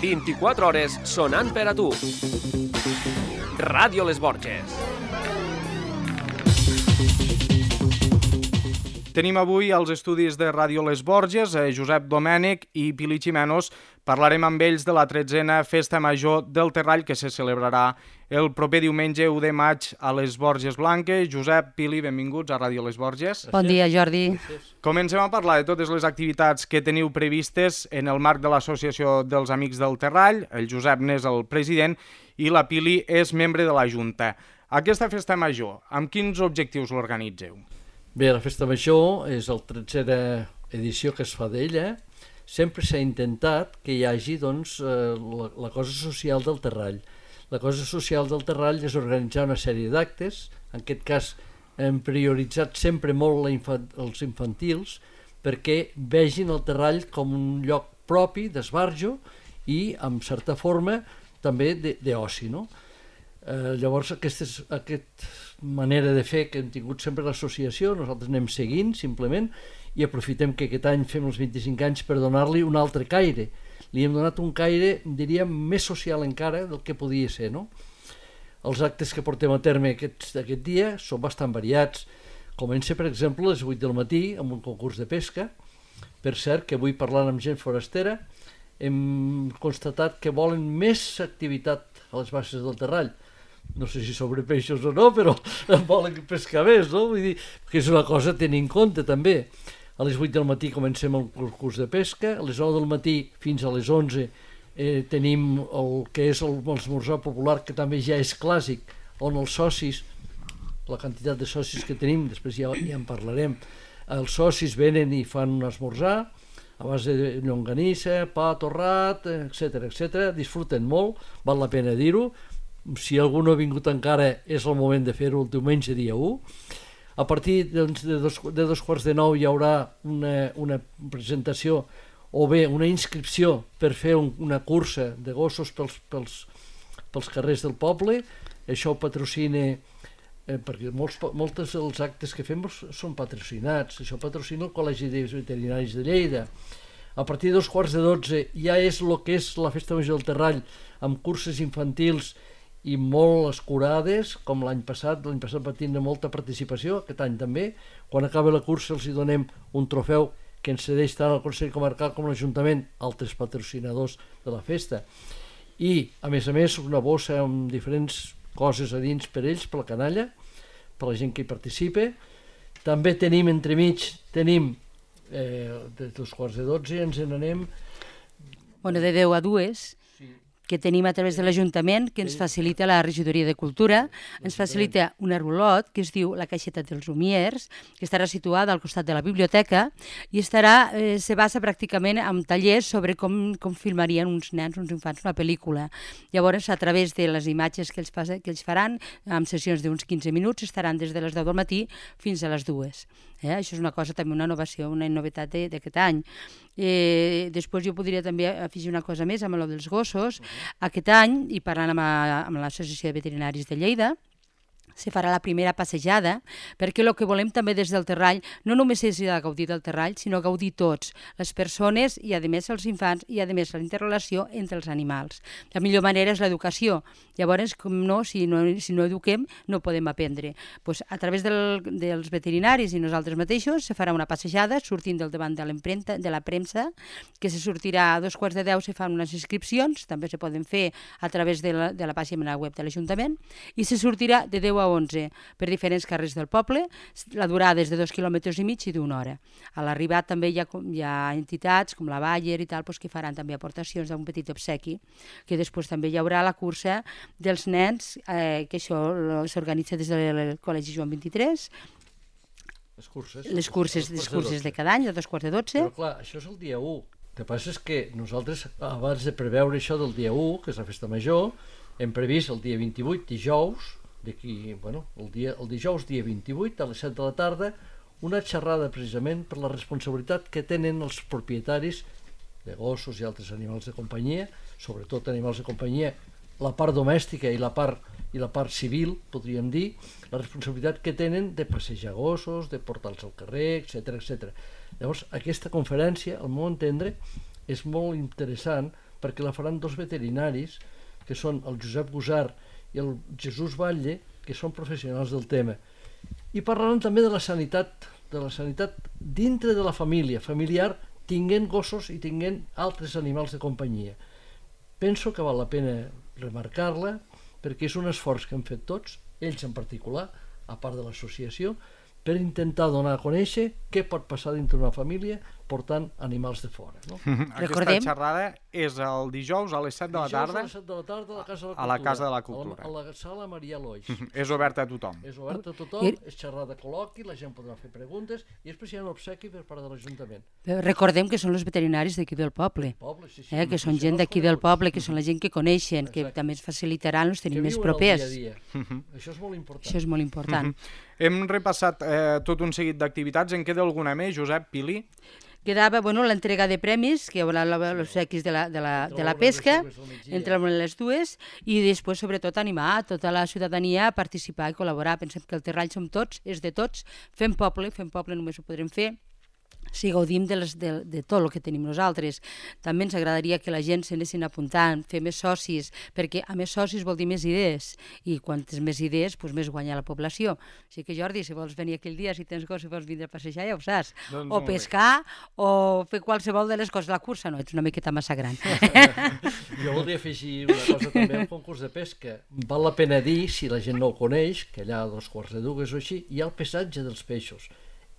24 hores sonant per a tu. Ràdio Les Borges. Tenim avui als estudis de Ràdio Les Borges Josep Domènech i Pili Ximenos. Parlarem amb ells de la 13a Festa Major del Terrall que se celebrarà el proper diumenge 1 de maig a les Borges Blanques. Josep, Pili, benvinguts a Ràdio Les Borges. Bon dia, Jordi. Comencem a parlar de totes les activitats que teniu previstes en el marc de l'Associació dels Amics del Terrall. El Josep n'és el president i la Pili és membre de la Junta. Aquesta Festa Major, amb quins objectius l'organitzeu? Bé, la Festa Major és la 13a edició que es fa d'ella. Sempre s'ha intentat que hi hagi la cosa social del Terrall. La cosa social del Terrall és organitzar una sèrie d'actes. En aquest cas hem prioritzat sempre molt els infantils perquè vegin el Terrall com un lloc propi d'esbarjo i, en certa forma, també d'oci, no? Llavors, aquesta manera de fer que hem tingut sempre l'associació, nosaltres anem seguint, simplement, i aprofitem que aquest any fem els 25 anys per donar-li un altre caire. Li hem donat un caire, diríem, més social encara del que podia ser, no? Els actes que portem a terme aquest dia són bastant variats. Comença, per exemple, a les 8 del matí amb un concurs de pesca. Per cert, que avui parlant amb gent forastera hem constatat que volen més activitat a les basses del Terrall. No sé si sobre peixos o no, però volen pescar més, no? Vull dir, que és una cosa a tenir en compte també. A les 8 del matí comencem el concurs de pesca, a les 9 del matí fins a les 11 tenim el que és l'esmorzar popular, que també ja és clàssic, on els socis, la quantitat de socis que tenim, després ja en parlarem, els socis venen i fan un esmorzar a base de llonganissa, pa torrat, etc. Disfruten molt, val la pena dir-ho. Si algú no ha vingut encara és el moment de fer-ho el diumenge dia 1. A partir de 2:45 hi haurà una presentació o bé una inscripció per fer una cursa de gossos pels carrers del poble. Això ho patrocina, perquè molts dels actes que fem són patrocinats. Això patrocina el Col·legi de Veterinaris de Lleida. A partir de 11:45 ja és el que és la Festa Major del Terrall, amb curses infantils i molt escurades, com l'any passat va tindre molta participació, aquest any també. Quan acaba la cursa els hi donem un trofeu que ens cedeix tant el Consell Comarcal com l'Ajuntament, altres patrocinadors de la festa. I, a més, una bossa amb diferents coses a dins per ells, per la canalla, per la gent que hi participa. També tenim, entremig, de 11:45 ens n'anem... Bueno, de 10 a 2, que tenim a través de l'Ajuntament, que ens facilita la Regidoria de Cultura, ens facilita una rulot que es diu la Caixeta dels Lumiers, que estarà situada al costat de la biblioteca i se basa pràcticament en tallers sobre com filmarien uns nens, uns infants, una pel·lícula. Llavors, a través de les imatges que ells faran, amb sessions d'uns 15 minuts, estaran des de les 10 del matí fins a les 2. Això és una cosa, també una innovació, una novetat d'aquest any. Després jo podria també afegir una cosa més amb el dels gossos. Aquest any, i parlant amb l'Associació de Veterinaris de Lleida, se farà la primera passejada, perquè el que volem també des del Terrall no només és gaudir del Terrall, sinó gaudir tots, les persones i a més els infants i a més la interrelació entre els animals. La millor manera és l'educació. Llavors, si no eduquem, no podem aprendre. A través dels veterinaris i nosaltres mateixos se farà una passejada sortint del davant de la premsa, que se sortirà a 11:45, se fan unes inscripcions, també se poden fer a través de la pàgina web de l'Ajuntament, i se sortirà de 10 a 11 per diferents carrers del poble. La durada és de 2,5 quilòmetres i d'una hora. A l'arribat també hi ha entitats com la Bayer i tal que faran també aportacions d'un petit obsequi, que després també hi haurà la cursa dels nens, que això s'organitza des del Col·legi Joan 23. Les curses de cada any, a 11:45. Però clar, això és el dia 1. El que passa és que nosaltres, abans de preveure això del dia 1, que és la Festa Major, hem previst el dia 28, dijous, el dijous dia 28 a les 7 de la tarda, una xerrada precisament per la responsabilitat que tenen els propietaris de gossos i altres animals de companyia, sobretot animals de companyia, la part domèstica i la part civil, podríem dir, la responsabilitat que tenen de passejar gossos, de portar-los al carrer, etc. Llavors, aquesta conferència, al meu entendre, és molt interessant perquè la faran dos veterinaris, que són el Josep Gusart i el Jesús Batlle, que són professionals del tema. I parlaran també de la sanitat dintre de la família, familiar, tinguent gossos i tinguent altres animals de companyia. Penso que val la pena remarcar-la perquè és un esforç que hem fet tots, ells en particular, a part de l'associació, per intentar donar a conèixer què pot passar dintre d'una família portant animals de fora. No? Aquesta xerrada és el dijous a les 7 de la tarda, a les 7 de la tarda a la Casa de la Cultura. A la sala Maria Loix. És oberta a tothom. És oberta a tothom, és xerrada col·loqui, la gent podrà fer preguntes i després hi ha un obsequi per part de l'Ajuntament. Recordem que són els veterinaris d'aquí del poble, que són gent d'aquí del poble, que són la gent que coneixen, que també ens facilitaran, els tenim més propers. Això és molt important. Això és molt important. Hem repassat tot un seguit d'activitats. En queda alguna més, Josep, Pili? Quedava l'entrega de premis, que hi haurà els obsequis de la pesca, entre les dues, i després, sobretot, animar tota la ciutadania a participar i col·laborar. Pensem que el Terrall som tots, és de tots, fem poble només ho podrem fer si gaudim de tot el que tenim nosaltres. També ens agradaria que la gent s'anessin apuntant, fer més socis, perquè a més socis vol dir més idees, i quantes més idees, més guanya la població. Així que, Jordi, si vols venir aquell dia, si tens gos, si vols vindre a passejar, ja ho saps. O pescar, o fer qualsevol de les coses. La cursa no, ets una miqueta massa gran. Jo voldria afegir una cosa també al concurs de pesca. Val la pena dir, si la gent no ho coneix, que allà a 2:45 o així, hi ha el pesatge dels peixos.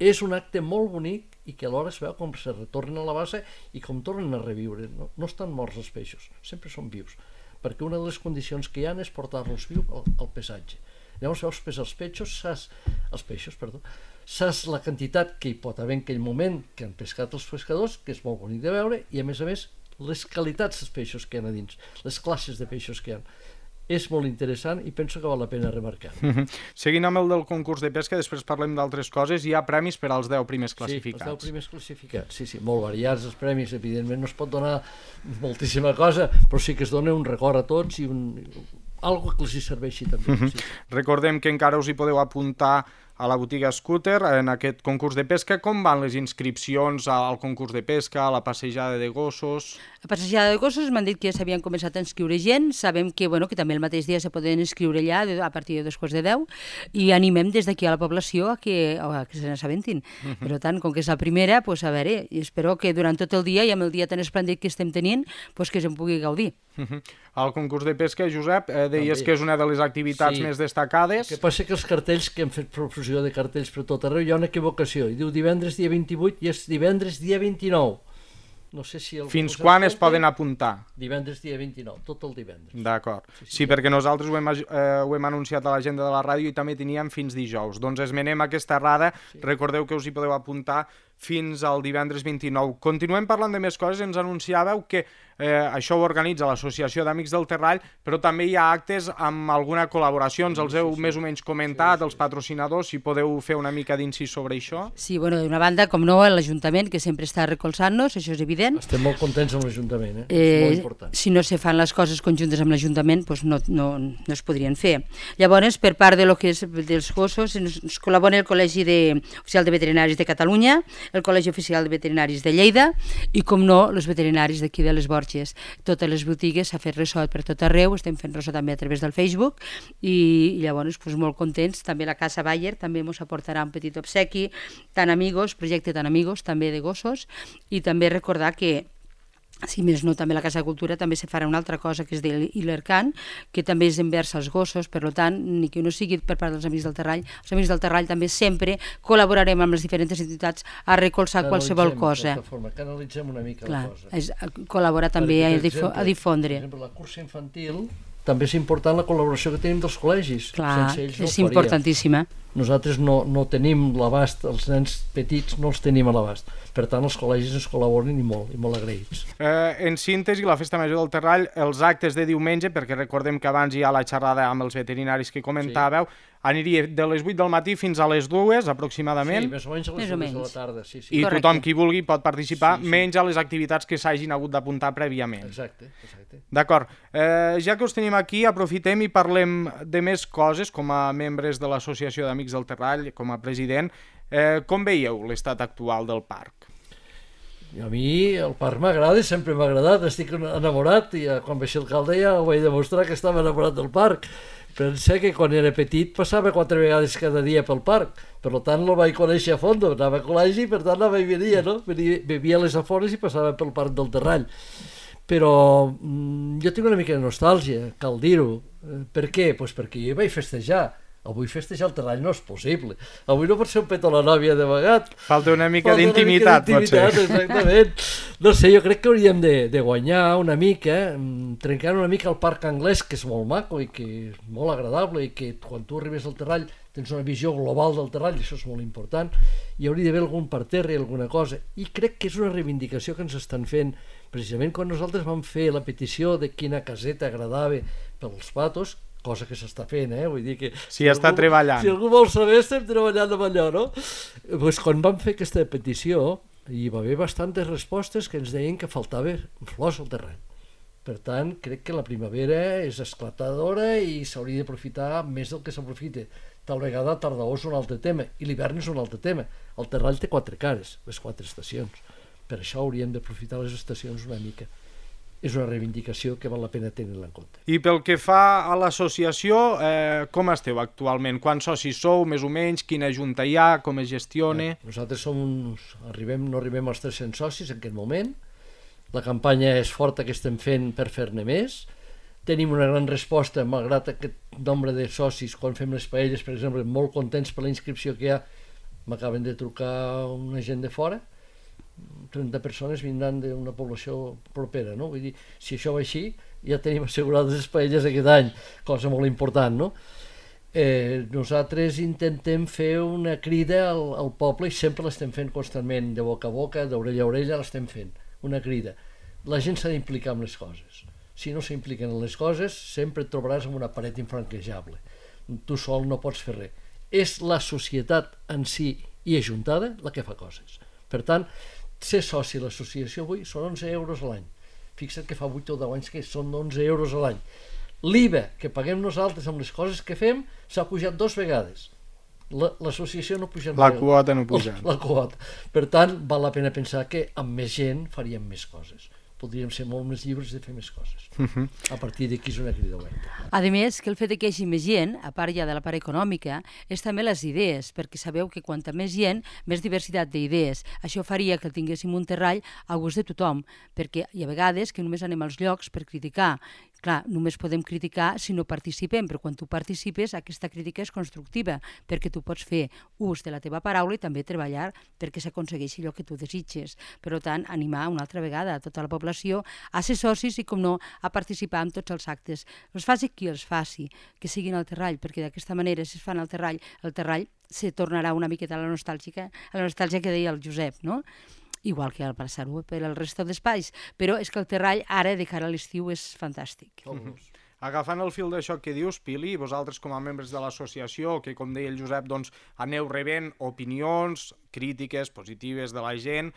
És un acte molt bonic i que alhora es veu com se retornen a la base i com tornen a reviure. No estan morts els peixos, sempre són vius, perquè una de les condicions que hi ha és portar-los viu al pesatge. Llavors veus pesar els peixos, saps la quantitat que hi pot haver en aquell moment que han pescat els pescadors, que és molt bonic de veure, i a més les qualitats dels peixos que hi ha a dins, les classes de peixos que hi ha. És molt interessant i penso que val la pena remarcar. Seguint amb el del concurs de pesca, després parlem d'altres coses. Hi ha premis per als 10 primers classificats. Sí, els 10 primers classificats. Sí, molt variats els premis. Evidentment no es pot donar moltíssima cosa, però sí que es dona un record a tots i algo que els hi serveixi també. Sí. Recordem que encara us hi podeu apuntar a la botiga Scooter en aquest concurs de pesca. Com van les inscripcions al concurs de pesca, a la passejada de gossos? La passejada de gossos m'han dit que ja s'havien començat a inscriure gent. Sabem que també el mateix dia se poden inscriure allà a partir de 2:10 i animem des d'aquí a la població a que se n'assabentin. Per tant, com que és la primera, a veure, i espero que durant tot el dia i amb el dia tan esplèndid que estem tenint, que se'n pugui gaudir. El concurs de pesca, Josep, deies que és una de les activitats més destacades. El que passa que els cartells, que hem fet profusió de cartells per tot arreu, hi ha una equivocació, i diu divendres dia 28 i és divendres dia 29. No sé si fins quan es poden apuntar? Divendres dia 29, tot el divendres. D'acord. Sí, perquè nosaltres ho hem anunciat a l'agenda de la ràdio i també teníem fins dijous. Doncs esmenem aquesta errada. Recordeu que us hi podeu apuntar fins al divendres 29. Continuem parlant de més coses. Ens anunciàveu que això ho organitza l'Associació d'Amics del Terrall, però també hi ha actes amb alguna col·laboració. Ens els heu més o menys comentat, els patrocinadors, si podeu fer una mica d'incís sobre això. Sí, d'una banda, com no, l'Ajuntament, que sempre està recolzant-nos, això és evident. Estem molt contents amb l'Ajuntament, és molt important. Si no se fan les coses conjuntes amb l'Ajuntament, no es podrien fer. Llavors, per part de lo que és dels gossos, ens col·labora el Col·legi Oficial de Veterinaris de Catalunya, el Col·legi Oficial de Veterinaris de Lleida i, com no, els veterinaris d'aquí de les Borges. Totes les botigues s'ha fet ressò per tot arreu, estem fent ressò també a través del Facebook i llavors molt contents. També la Casa Bayer també ens aportarà un petit obsequi, projecte Tan Amigos, també de gossos, i també recordar que si més no, també a la Casa de Cultura també se farà una altra cosa que és de l'Ilercan, que també és envers als gossos, per tant, ni que no sigui per part dels Amics del Terrall, els Amics del Terrall també sempre col·laborarem amb les diferents entitats a recolzar qualsevol cosa. Canalitzem una mica la cosa. Col·laborar també a difondre. Per exemple, la cursa infantil també és important la col·laboració que tenim dels col·legis. Clar, és importantíssima. Nosaltres no tenim l'abast, els nens petits no els tenim a l'abast. Per tant, els col·legis ens col·laboren i molt agraïts. En síntesi, la Festa Major del Terrall, els actes de diumenge, perquè recordem que abans hi ha la xerrada amb els veterinaris que comentàveu, aniria de les 8 del matí fins a les 2 aproximadament. Sí, més o menys a les 2 de la tarda. Sí. I tothom qui vulgui pot participar, menys a les activitats que s'hagin hagut d'apuntar prèviament. Exacte. D'acord. Ja que us tenim aquí, aprofitem i parlem de més coses com a membres de l'Associació d'Amics del Terrall, com a president. Com veieu l'estat actual del parc? I a mi el parc m'agrada, sempre m'ha agradat, estic enamorat i quan vaig ser alcalde ja ho vaig demostrar que estava enamorat del parc. Pensa que quan era petit passava 4 vegades cada dia pel parc, per tant el vaig conèixer a fons, anava a col·legi, per tant anava i venia, no? Vivia a les afores i passava pel parc del Terrall. Però jo tinc una mica de nostàlgia, cal dir-ho. Per què? Pues perquè jo vaig festejar. Avui festejar el Terrall no és possible. Avui no pot ser un petó a la nòvia de vegat. Falta una mica d'intimitat, potser. Exactament. No sé, jo crec que hauríem de guanyar una mica, trencant una mica el parc anglès, que és molt maco i que és molt agradable i que quan tu arribes al Terrall tens una visió global del Terrall, i això és molt important. Hi hauria d'haver algun parterre, alguna cosa. I crec que és una reivindicació que ens estan fent. Precisament quan nosaltres vam fer la petició de quina caseta agradava pels patos, cosa que s'està fent, vull dir que... Sí, està treballant. Si algú vol saber, estem treballant amb allò, no? Pues quan vam fer aquesta petició, hi va haver bastantes respostes que ens deien que faltava flors al terreny. Per tant, crec que la primavera és esclatadora i s'hauria d'aprofitar més del que s'aprofita. Tal vegada tardor és un altre tema i l'hivern és un altre tema. El Terrall té 4 cares, les 4 estacions. Per això hauríem d'aprofitar les estacions una mica. És una reivindicació que val la pena tenir-la en compte. I pel que fa a l'associació, com esteu actualment? Quants socis sou, més o menys? Quina junta hi ha? Com es gestiona? Nosaltres no arribem als 300 socis en aquest moment. La campanya és forta que estem fent per fer-ne més. Tenim una gran resposta, malgrat aquest nombre de socis, quan fem les paelles, per exemple, molt contents per la inscripció que hi ha. M'acaben de trucar una gent de fora. 30 persones vindran d'una població propera, no? Vull dir, si això va així, ja tenim assegurades les paelles aquest any, cosa molt important, no? Nosaltres intentem fer una crida al poble i sempre l'estem fent constantment, de boca a boca, d'orella a orella, l'estem fent, una crida. La gent s'ha d'implicar en les coses. Si no s'impliquen en les coses, sempre et trobaràs amb una paret infranquejable. Tu sol no pots fer res. És la societat en si i ajuntada la que fa coses. Per tant, ser soci de l'associació avui són 11 euros a l'any. Fixa't que fa 8 o 10 anys que són 11 euros a l'any. L'IVA que paguem nosaltres amb les coses que fem s'ha pujat 2 vegades. L'associació no puja. La quota no puja. La quota. Per tant, val la pena pensar que amb més gent faríem més coses. Podríem ser molt més lliures de fer més coses. A partir d'aquí és una crida oberta. A més, que el fet que hi hagi més gent, a part ja de la part econòmica, és també les idees, perquè sabeu que quanta més gent, més diversitat d'idees. Això faria que tinguéssim un terrall a gust de tothom, perquè hi ha vegades que només anem als llocs per criticar. Clar, només podem criticar si no participem, però quan tu participes aquesta crítica és constructiva, perquè tu pots fer ús de la teva paraula i també treballar perquè s'aconsegueixi allò que tu desitges. Per tant, animar una altra vegada a tota la població a ser socis i, com no, a participar en tots els actes. Els faci qui els faci, que siguin al terrall, perquè d'aquesta manera, si es fan al terrall, el terrall se tornarà una miqueta a la nostàlgia que deia el Josep, no? Igual que al passar-ho per al resto d'espais, però és que el terrall ara de cara a l'estiu és fantàstic. Agafant el fil d'això que dius, Pili, vosaltres com a membres de l'associació, que com deia el Josep, doncs aneu rebent opinions, crítiques positives de la gent,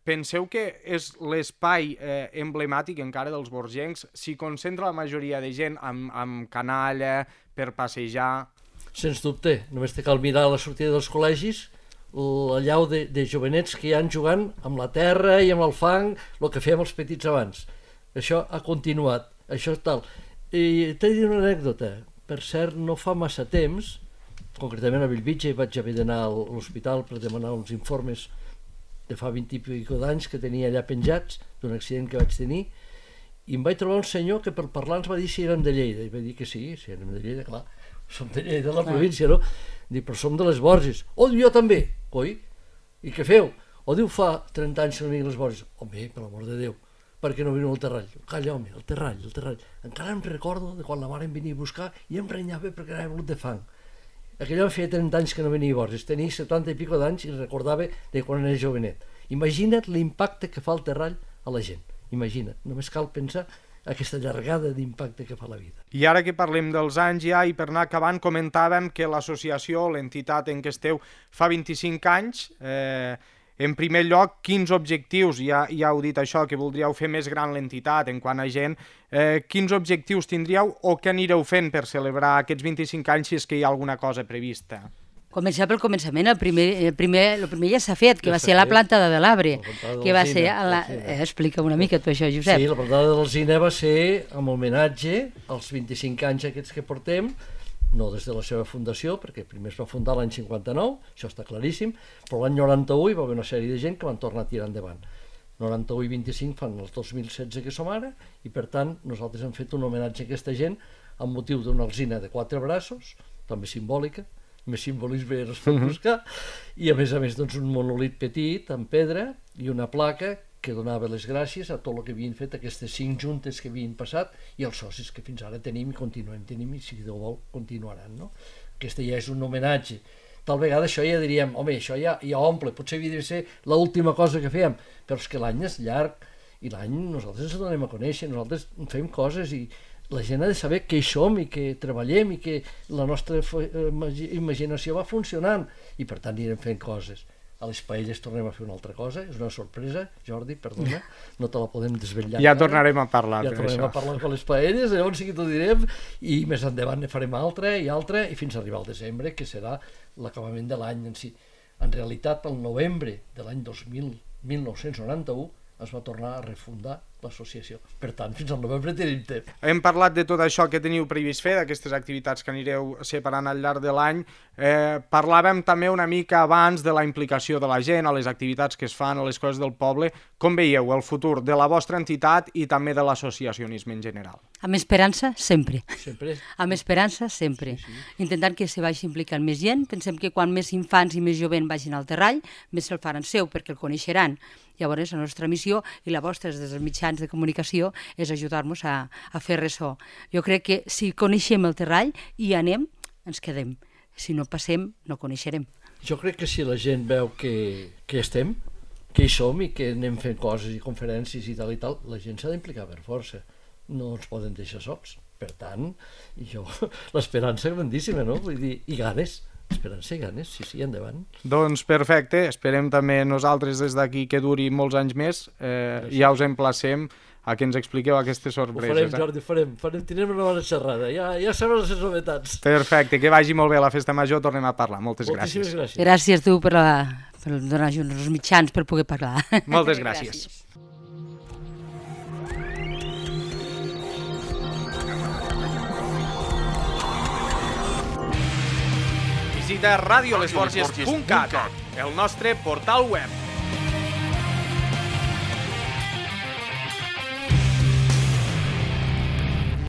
penseu que és l'espai emblemàtic encara dels borgencs, s'hi concentra la majoria de gent amb canalla, per passejar? Sens dubte, només te cal mirar a la sortida dels col·legis, la llau de jovenets que hi han jugant amb la terra i amb el fang, el que fèiem els petits abans. Això ha continuat, això tal. I t'he de dir una anècdota. Per cert, no fa massa temps, concretament a Bellvitge, vaig haver d'anar a l'hospital per demanar uns informes de fa 20 i pico d'anys que tenia allà penjats d'un accident que vaig tenir, i em vaig trobar un senyor que per parlar ens va dir si érem de Lleida, i vaig dir que sí, si érem de Lleida, clar, som de Lleida, de la província, no? Dic, però som de les Borges. Oh, jo també. Coi, i què feu? O diu, fa 30 anys que no vinc a les Borges. Home, per l'amor de Déu, per què no veniu al Terrall? Calla, home, el Terrall. Encara em recordo de quan la mare em venia a buscar i em renyava perquè anava volut de fang. Aquell home feia 30 anys que no venia a Borges, tenia 70 i pico d'anys i recordava de quan era jovenet. Imagina't l'impacte que fa el Terrall a la gent. Imagina't, només cal pensar aquesta llargada d'impacte que fa la vida. I ara que parlem dels anys ja, i per anar acabant, comentàvem que l'associació, l'entitat en què esteu, fa 25 anys. En primer lloc, quins objectius, ja heu dit això, que voldríeu fer més gran l'entitat en quant a gent, quins objectius tindríeu o què anireu fent per celebrar aquests 25 anys si és que hi ha alguna cosa prevista? Començar pel començament, el primer ja s'ha fet, que va ser la plantada de l'arbre, que va ser... Explica una mica tu això, Josep. Sí, la plantada de l'alzina va ser amb homenatge als 25 anys aquests que portem, no des de la seva fundació, perquè primer es va fundar l'any 59, això està claríssim, però l'any 91 hi va haver una sèrie de gent que van tornar a tirar endavant. 91 i 25 fan els 2016 que som ara, i per tant nosaltres hem fet un homenatge a aquesta gent amb motiu d'una alzina de 4 braços, també simbòlica, més simbolisme no es pot buscar, i a més doncs, un monolit petit amb pedra i una placa que donava les gràcies a tot el que havien fet aquestes 5 juntes que havien passat i els socis que fins ara tenim i continuem tenint i si Déu vol continuaran. No? Aquesta ja és un homenatge. Tal vegada això ja diríem, home, això ja omple, potser havia de ser l'última cosa que fèiem, però és que l'any és llarg i l'any nosaltres ens donem a conèixer, nosaltres fem coses i la gent ha de saber què hi som i que treballem i que la nostra imaginació va funcionant i per tant anirem fent coses. A les paelles tornem a fer una altra cosa, és una sorpresa, Jordi, perdona, no te la podem desvetllar. Ja tornarem a parlar ja tornarem a parlar de les paelles, llavors sí que t'ho direm, i més endavant ne farem altra, i fins a arribar al desembre, que serà l'acabament de l'any en si. En realitat, el novembre de l'any 1991 es va tornar a refundar l'associació. Per tant, fins al novembre tenim temps. Hem parlat de tot això que teniu previst fer, d'aquestes activitats que anireu separant al llarg de l'any. Parlàvem també una mica abans de la implicació de la gent, a les activitats que es fan, a les coses del poble. Com veieu el futur de la vostra entitat i també de l'associacionisme en general? Amb esperança, sempre. Sempre. Amb esperança, sempre. Sí. Intentant que se vagi implicant més gent. Pensem que quan més infants i més jovent vagin al terrall, més se'l faran seu, perquè el coneixeran. Llavors, la nostra missió i la vostra des dels mitjans de comunicació és ajudar-nos a fer ressò. Jo crec que si coneixem el terrall i anem, ens quedem. Si no passem, no coneixerem. Jo crec que si la gent veu que estem, que hi som i que anem fent coses i conferències i tal, la gent s'ha d'implicar per força. No ens poden deixar sols. Per tant, l'esperança és grandíssima, no? Vull dir, i ganes. Esperança i ganes, sí, endavant. Doncs perfecte, esperem també nosaltres des d'aquí que duri molts anys més. Ja us emplacem a que ens expliqueu aquestes sorpreses. Ho farem, Jordi, ho farem. Tindrem una bona xerrada, ja sabem les novetats. Perfecte, que vagi molt bé la festa major, tornem a parlar. Moltes gràcies. Gràcies tu per donar-nos els mitjans per poder parlar. Moltes gràcies. Visita radiolesborges.cat, el nostre portal web.